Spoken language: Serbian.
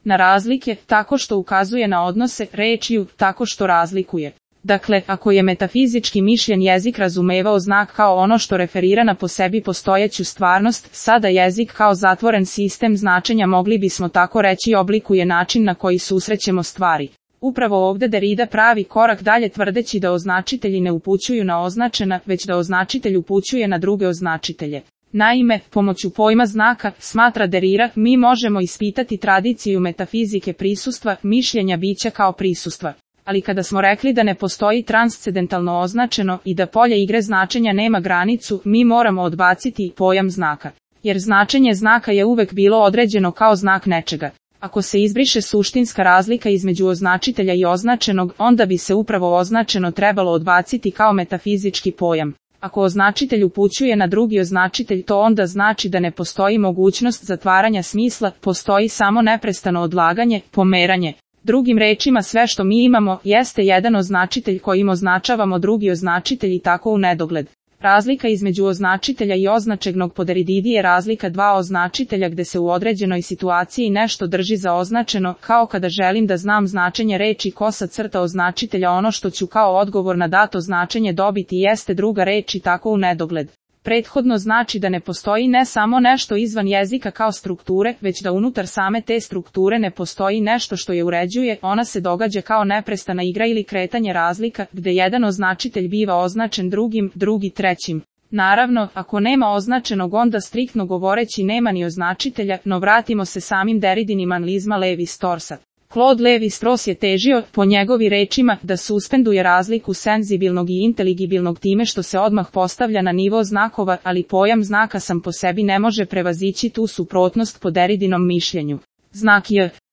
na razlike, tako što ukazuje na odnose, rečju, tako što razlikuje. Dakle, ako je metafizički mišljen jezik razumevao znak kao ono što referira na po sebi postojeću stvarnost, sada jezik kao zatvoren sistem značenja mogli bismo tako reći oblikuje način na koji susrećemo stvari. Upravo ovdje Derrida pravi korak dalje tvrdeći da označitelji ne upućuju na označena, već da označitelj upućuje na druge označitelje. Naime, pomoću pojma znaka, smatra Derrida, mi možemo ispitati tradiciju metafizike prisustva, mišljenja bića kao prisustva. Ali kada smo rekli da ne postoji transcendentalno označeno i da polje igre značenja nema granicu, mi moramo odbaciti pojam znaka. Jer značenje znaka je uvek bilo određeno kao znak nečega. Ako se izbriše suštinska razlika između označitelja i označenog, onda bi se upravo označeno trebalo odbaciti kao metafizički pojam. Ako označitelj upućuje na drugi označitelj, to onda znači da ne postoji mogućnost zatvaranja smisla, postoji samo neprestano odlaganje, pomeranje. Drugim rečima, sve što mi imamo jeste jedan označitelj kojim označavamo drugi označitelj i tako u nedogled. Razlika između označitelja i označenog po Derridi je razlika dva označitelja gde se u određenoj situaciji nešto drži za označeno, kao kada želim da znam značenje reči kosa crta označitelja, ono što ću kao odgovor na dato značenje dobiti jeste druga reč i tako u nedogled. Prethodno znači da ne postoji ne samo nešto izvan jezika kao strukture, već da unutar same te strukture ne postoji nešto što je uređuje, ona se događa kao neprestana igra ili kretanje razlika, gde jedan označitelj biva označen drugim, drugi trećim. Naravno, ako nema označenog onda striktno govoreći nema ni označitelja, no vratimo se samim Derridinim analizma Levi-Straussa. Claude Levi-Strauss je težio, po njegovi rečima, da suspenduje razliku senzibilnog i inteligibilnog time što se odmah postavlja na nivo znakova, ali pojam znaka sam po sebi ne može prevazići tu suprotnost po Derridinom mišljenju. Znak J